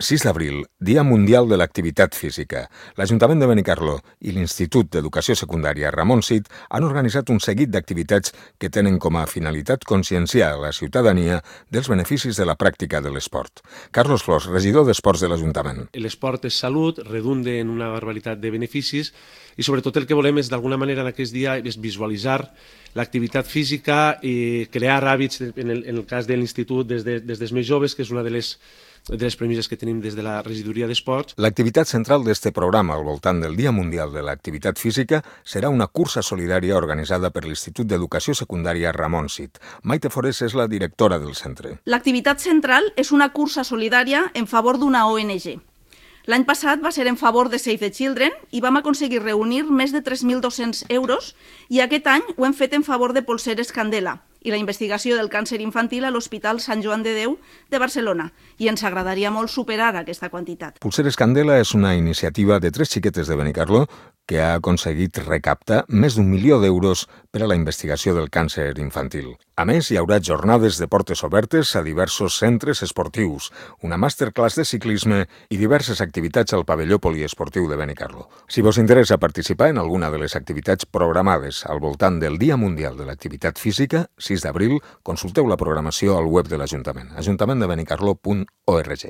6 d'abril, Dia Mundial de l'Activitat Física. L'Ajuntament de Benicarló i l'Institut d'Educació Secundària Ramon Cid han organitzat un seguit d'activitats que tenen com a finalitat conscienciar la ciutadania dels beneficis de la pràctica de l'esport. Carlos Flors, regidor d'Esports de l'Ajuntament. L'esport és salut, redunda en una barbaritat de beneficis i sobretot el que volem és d'alguna manera en aquest dia és visualitzar l'activitat física i crear hàbits, en el cas de l'Institut, des dels més joves, que és una de les premisses que tenim des de la regidoria d'esports. L'activitat central d'este programa al voltant del Dia Mundial de l'Activitat Física serà una cursa solidària organitzada per l'Institut d'Educació Secundària Ramon Cid. Maite Forés és la directora del centre. L'activitat central és una cursa solidària en favor d'una ONG. L'any passat va ser en favor de Save the Children i vam aconseguir reunir més de 3.200 euros i aquest any ho hem fet en favor de Polseres Candela i la investigació del càncer infantil a l'Hospital Sant Joan de Déu de Barcelona, i ens agradaria molt superar aquesta quantitat. Polseres Candela és una iniciativa de 3 xiquetes de Benicarló que ha aconseguit recaptar més d'1 milió d'euros per a la investigació del càncer infantil. A més, hi haurà jornades de portes obertes a diversos centres esportius, una masterclass de ciclisme i diverses activitats al pavelló poliesportiu de Benicarló. Si vos interessa participar en alguna de les activitats programades al voltant del Dia Mundial de l'Activitat Física, 6 d'abril, consulteu la programació al web de l'Ajuntament, ajuntamenttdebenicarló.org.